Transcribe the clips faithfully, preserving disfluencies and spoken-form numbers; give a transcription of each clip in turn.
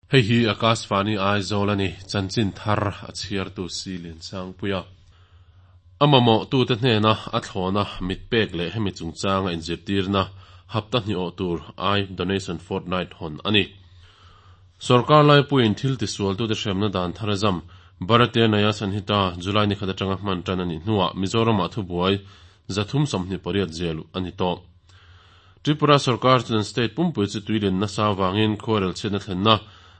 Hei hi Akashvani Aizawl a ni, chanchin thar a chhiartu si Liansangpuia. A mamawh tute hnena a thlawna mit pek leh hemi chungchanga inzirtirna hapta hnih awh tur Eye Donation Fortnight hawn a ni. Sorkar laipuiin thil tisualtute hremna dan thar a zam. Bharatiya Nyaya Sanhita July ni khat atanga hman tan a nih hnuah Mizoramah thubuai zathum sawmhnih pariat ziah luh a ni tawh. Tripura sorkar chuan state pumpui chu tuilin nasa avangin khuarel chhiatna thlenna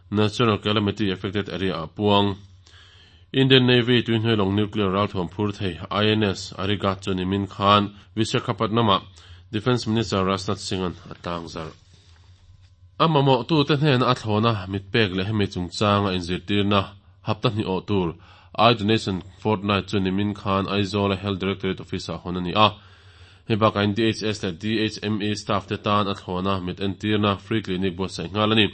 Natural Calamity Affected Area ah puang. Indian Navy tuihnuai lawng nuclear ralthuam phur thei I N S Arighaat chu nimin khan Visakhapatnam-ah Defence Minister Rajnath Singh-a'n a tlangzarh. A mamawhtute hnena a thlawna mit pek leh hemi chungchanga inzirtirna hapta hnih awh tur Eye Donation Fortnight chu nimin khan Aizawl-a Health Directorate Office-ah hawn a ni a. Hei bakah in D H S leh D H M E staff te tan a thlawna mit entirna Free Clinic buatsaih nghal a ni.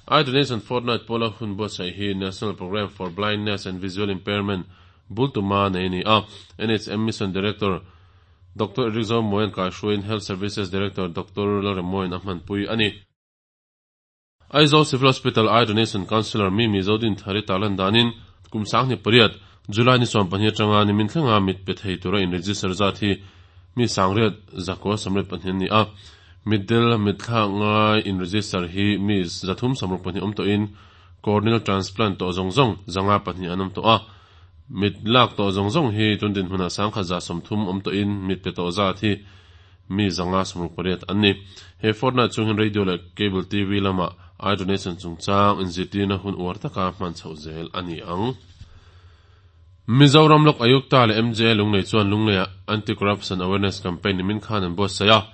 Eye Donation Fortnight pawla hun buatsaih hi National Programme for Blindness and Visual Impairment bultuma nei a ni a. N H M Mission Director Doctor Eric Zomoyan kaihruaiin Health Services Director Doctor Lalremoyan a hmanpui a ni. Aizawl Civil Hospital Eye Donation Counsellor Mimi Zodinthari tarlan danin kum sanghnih pariat July ni sawm pahnih atanga nimin thlenga mit pe thei tura in-register zat hi mi sangriat zakua sawmriat pahnih an ni a. Mitdel mitthlak ngai in-register hi mi zathum sawmruk pahnih awm tawhin corneal transplant tawh zawng zawng zanga pahnih an awm tawh a. Mit lak tawh zawng zawng hi tun dinhmunah sangkhat za sawmthum awm tawhin mit pe tawh zat hi mi zanga sawmruk pariat an ni. He fortnight chungin radio leh cable T V lamah eye donation chungchang inzirtirna hun uar taka hman chhoh zel a ni ang. Mizoram Lok Ayukta leh M J Lunglei chuan Lungleiah Anti-Corruption Awareness Campaign nimin khan an buatsaih a.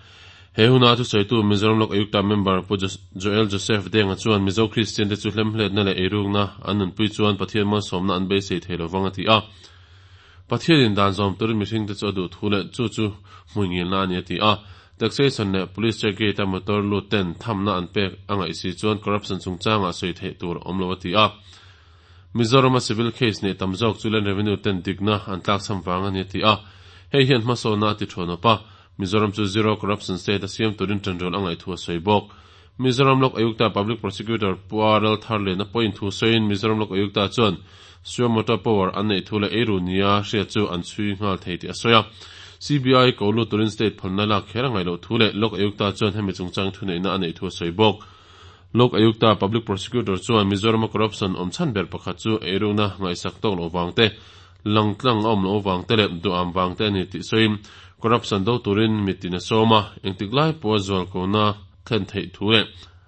He huna thusawitu Mizoram Lok Ayukta member Pu Joel Joseph Denga chuan Mizo Kristian te chu hlemhletna leh eirukna an nunpui chuan Pathian malsawmna an beisei thei lovang a ti a. Pathianin dan zawm turin mihring te chu a duh thu leh chu chu hmuingilna a ni a ti a. Taxation leh police check gate a motor lut ten thamna an pek a ngaih si chuan corruption chungchangah sawi theih tur a awm lo a ti a. Mizorama civil case nei tam zawk chu Land Revenue ten dikna an tlakchham vang a ni a ti a. Hei hian hmasawnna a ti thawn awp a. Mizoram chu zero corruption state a siam turin tanrual a ngaih thu a sawi bawk. Mizoram Lok Ayukta Public Prosecutor Pu R L Tharliana pawhin thu sawiin Mizoram Lok Ayukta chuan suo moto power an neih thu leh eiru nia hriat chu an chhui nghal thei tih a sawi a. C B I ko lut turin state phalna lak kher a ngaih loh thu leh Lok Ayukta chuan hemi chungchang thuneihna a neih thu a sawi bawk. Lok Ayukta Public Prosecutor chuan Mizorama corruption awm chhan ber pakhat chu eirukna ngaihsak tawk loh vang te, langtlang a awm loh vang te leh duham vang te a ni tih sawiin corruption do turin mitin a sawm a, engtik lai pawha zualkona thlen theih thu leh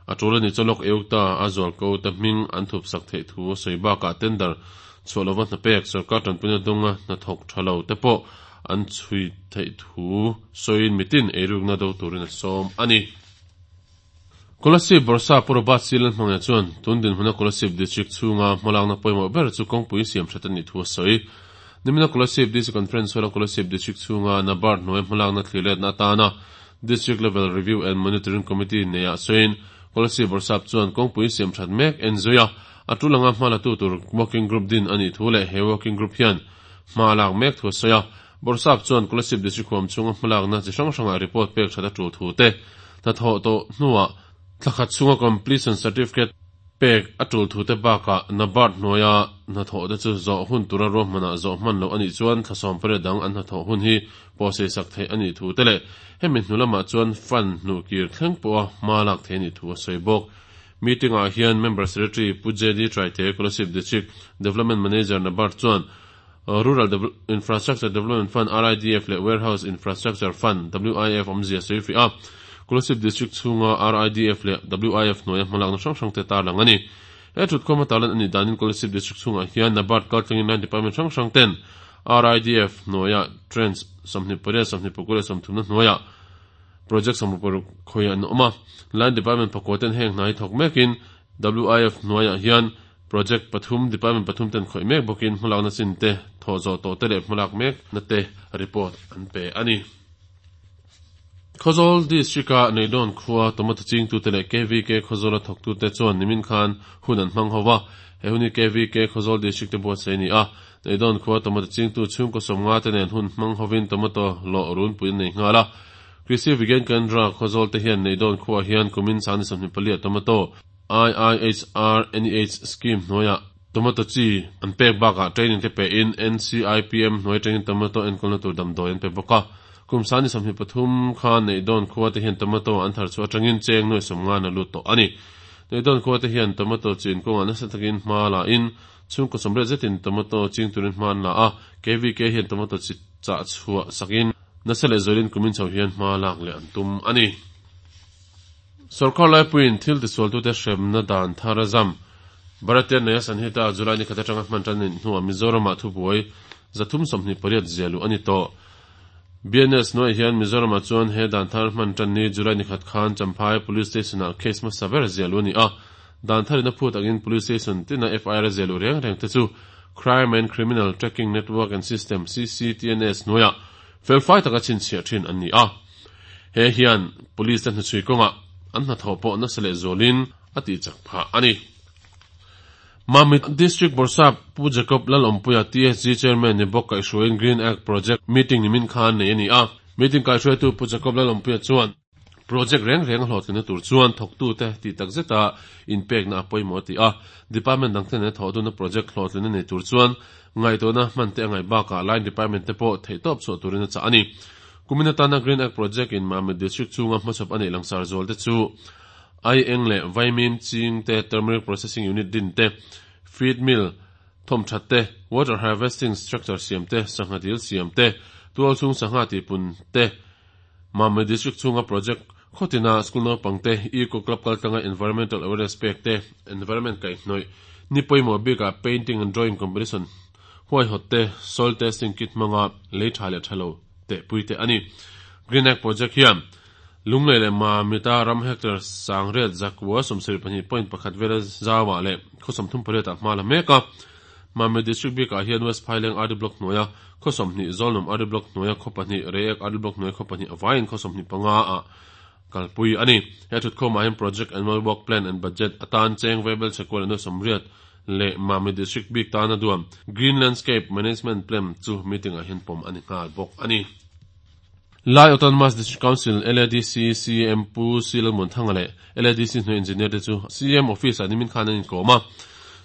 a tul a nih chuan Lok Ayukta a zualko te hming an thupsak theih thu a sawi bakah tender chhuah lova hna pek, sorkar tanpuina dunga hnathawk tha lo te pawh an chhui theih thu sawiin mitin eirukna do turin a sawm a ni. Kolasib Bawrhsap Pu Robert C Lalhmangaih chuan tun dinhmuna Kolasib District chhunga hmalakna pawimawh ber chu kawngpui siam that a nih thu a sawi. Nimina Kolasib D C Conference Hall-a Kolasib District chhunga NABARD hnuai hmalakna thliletna atana District Level Review and Monitoring Committee neiah sawiin Kolasib Bawrhsap chuan kawngpui siam that mek en zui a, a tul anga hmalatu tur working group din a nih thu leh he working group hian hma lak mek thu a sawi a. Bawrhsap chuan Kolasib District huam chhunga hmalakna chi hrang hrangah report pek that a tul thu te, hnathawh tawh hnuah thlakhat chhunga completion certificate pek a tul thu te bakah NABARD hnuaia hnathawh te chu zawh hun tura ruahmanah zawh hman loh a nih chuan thla sawm pariat dang an hnathawh hun hi pawhsei sak theih a nih thu te leh hemi hnu lamah chuan fund hnuh kir thleng pawha hma lak theih a nih thu a sawi bawk. Meeting-ah hian Member Secretary Pu J D Traite, Kolasib District Development Manager NABARD chuan Rural Infrastructure Development Fund R I D F leh Warehouse Infrastructure Fund W I F awmzia sawi fiah a. Kolasib District chhunga R I D F leh W I F hnuaia hmalakna hrang hrang te tarlang a ni. He thutkhawm a tarlan a nih danin Kolasib District chhungah hian NABARD kaltlangin line department hrang hrang ten R I D F hnuaia trench sawmhnih pariat, sawmhnih pakua leh sawmthumna hnuaia project sawmruk paruk khawi an awm a. Line department pakua ten heng hna hi thawk mekin W I F hnuaiah hian project pathum department pathum ten khawih mek bawkin hmalakna chin te thawh zawh tawh te leh hmalak mek na te report an pe a ni. Khawzawl District-a Neidawn khua tomato chingtute leh K V K Khawzawla thawktute chuan nimin khan hun an hmang ho va. He hun hi K V K Khawzawl District te buatsaih a ni a. Neidawn khua tomato chingtu chhungkaw sawmnga te nen hun hmang hovin tomato lawh runpui an nei nghal a. Krishi Vigyan Kendra Khawzawl te hian Neidawn khuaah hian kumin sangni sawmhnih pali ah tomato I I H R N E H scheme hnuaiah tomato chi an pek bakah training te pe in N C I P M hnuai atangin tomato enkawlna tur damdawi an pe bawk a. Kum sangni sawmhnih pathum khan Neihdawn khua te hian tomato an thar chhuah atangin cheng nuai sawmnga na lut tawh a ni. Neihdawn khua te hian tomato chin kawngah nasa takin hma la in chhungkaw sawmriat zetin tomato ching turin hma an la a. K V K hian tomato chi chah chhuah sakin nasa leh zualin kumin chho hian hma lak leh an tum a ni. Sorkar laipuiin thil tisualtute hremna dan thar a zam. Bharatiya Nyaya Sanhita July ni khat atanga hman tan hnuah Mizoramah thubuai zathum sawmhnih pariat ziahluh a ni tawh. B N S hnuai hian Mizoramah chuan he dan thar hman tan ni July ni khat khan Champhai Police Station-ah case hmasa ber ziahluh a ni a. Dan tharin a phut angin Police Station tina F I R ziahluh reng reng te chu Crime and Criminal Tracking Network and System C C T N S hnuaiah felfai taka chhinchhiah thin an ni a. He hian police te hnuchhui kawngah an hnathawh pawh nasa leh zualin a tihchak phah a ni. Mamit District Bawrhsap Pu Jacob Lalawmpuia T S G Chairman ni bawk kaihhruaiin Green Act Project meeting nimin khan nei a ni a. Meeting kaihhruaitu Pu Jacob Lalawmpuia chuan project reng reng a hlawhtlinna tur chuan thawktute tih takzeta inpekna a pawimawh a ti a. Department dang te nena thawh duna project hlawhtlinna nei tur chuan ngaihtuahna hman te a ngaih bakah line department te pawh theihtawp chhuah turin a chah a ni. Kumin atana Green Act Project in Mamit District chhunga hmachhawp a neih langsar zual te chu ai eng leh vaimim ching te turmeric processing unit din te, feed mill thawm that te, water harvesting structure siam te, sangha dil siam te, tual chhung sangha tihpun te, Mamit District chhunga project khawtina school naupang te eco club kaltlanga environmental awareness pek te, environment kaihhnawih ni pawimawh bikah painting and drawing competition huaihawt te, soil testing kit hmanga lei tha leh thalo te pui te a ni. Green Act Project hian Lunglei leh Mamita ram hectare sangriat zakua sawmsarih pahnih point pakhat vela zauah leh khaw sawmthum pariat ah hma la mek a. Mamit District bikah hian West Phaileng R D Block hnuaia khaw sawmhnih, Zawlnawm R D Block hnuaia khaw pahnih, Reiek R D Block hnuaia khaw pahnih avaiin khaw sawmhnih panga ah kalpui a ni. He thutkhawmah hian Project Annual Work Plan and Budget atan cheng vaibelchhe kual leh nuai sawmriat leh Mamit District bik tana duam Green Landscape Management Plan chu meeting ah hian pawm a ni nghal bawk a ni. Lai Autonomous District Council L A D C C M Pu C Lalmuanthanga leh L A D C hnuai engineer te chu C M office ah nimin khan an inkawm a.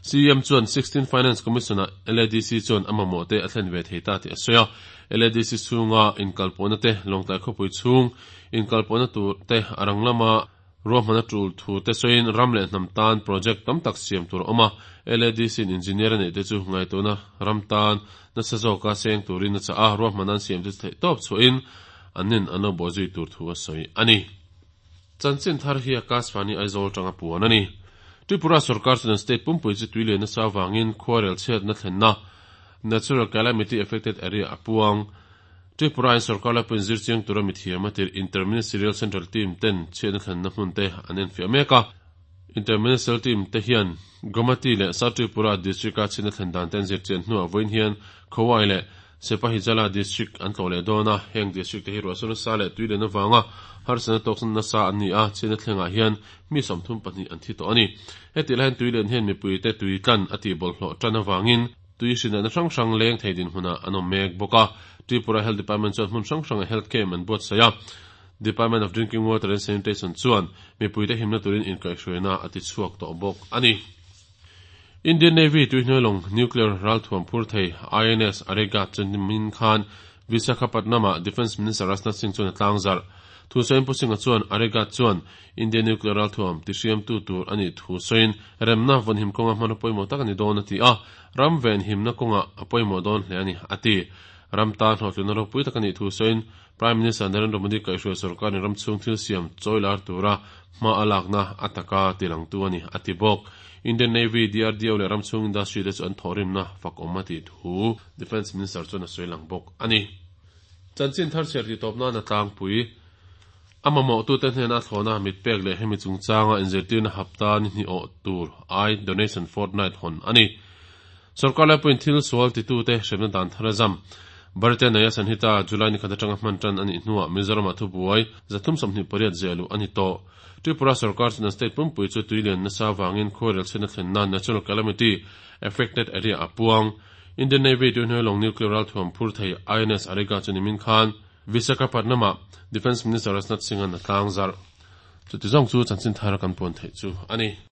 C M chuan sixteen Finance Commission ah L A D C chuan a mamawh te a thlen ve thei ta tih a sawi a. L A D C chhunga inkalpawhna te, Lawngtlai khawpui chhung inkalpawhna tur te a rang lama ruahmanna tul thu te sawiin ram leh hnam tan project tam tak siam tur a awm a. L A D C in engineer a neih te chu ngaihtuahna ram tan nasa zawka seng turin a chah a, ruahmanna an siam te chu theihtawp chhuahin an nin an lo bawhzui tur thu a sawi a ni. Chanchin thar hi Akashvani Aizawl tanga puan a ni. Tripura sarkar chuan state pumpui chu tui lian nasa avangin khuarel chhiatna thlenna natural calamity affected area a puang. Tripura in sarkar lapuiin zirchiang tura mithiam a tirh Interministerial Central Team ten chhiatna thlenna hmun te an enfiah mek a. Interministerial Team te hian Gomati leh South Tripura District a chhiatna thlen dan te an zirchian hnuah vawiin hian Khowai leh Sepahijala District an tlawh leh dawn a. Heng district te hi ruahsur nasa leh tui lian avanga harsatna tawk nasa an ni a, chhiatna thlengah hian mi sawmthum pahnih an thi tawh a ni. Heti lai hian tui lian hian mipui te tui tlan a tihbawlhhlawh tan avangin tui hrinatna hrang hrang leng thei dinhmunah an awm mek bawk a. Tripura Health Department chuan hmun hrang hranga health camp an buatsaih a. Department of Drinking Water and Sanitation chuan mipui te himna turin inkaihhruaina a ti chhuak tawh bawk a ni. Indian Navy tuihnuai nuclear ralthuam phur thei I N S Arighaat chu nimin khan Visakhapatnam-ah Defence Minister Rajnath Singh chuan a tlangzarh. Thu sawiin Pu Singh-a chuan Arighaat chuan Indian nuclear ralthuam tihriamtu tur a nih thu sawiin remna vawnhim kawnga hman a pawimawh tak a ni dawn a ti a. Ram venhimna kawngah a pawimawh dawn hle a ni a ti. Ram tan hlawhtlinna ropui tak a nih thu sawiin Prime Minister Narendra Modi kaihhruai sarkarin ram chhung thil siam chawilar tura hma a lakna a taka tilangtu a ni a ti bawk. Indian Navy, D R D O leh ram chhung industry te chu an thawhrimna fak awm a tih thu Defence Minister chuan a sawi lang bawk a ni. Chanchin thar chhiar tih tawp nan a tlangpui a mamawh tute hnena a thlawhna mit pek leh hemi chungchanga inzirtirna hapta ni hnih awh tur Eye Donation Fortnight hawn a ni. Sarkar laipuiin thil sual titute hremna dan thar a zam. Bharatiya Nyaya Sanhita July ni khat atanga hman tan a nih hnuah Mizoramah thubuai zathum sawmhnih pariat ziahluh a ni tawh. Tripura sarkar chuan state pumpui chu tui lian nasa avangin khuarel chhiatna thlenna natural calamity affected area a puang. Indian Navy tuihnuai lawng nuclear ralthuam phur thei I N S Arighaat chu nimin khan Visakhapatnam-ah Defence Minister Rajnath Singh an a tlangzarh. Chuti zawng chu chanchin thar kan puan theih chu a ni.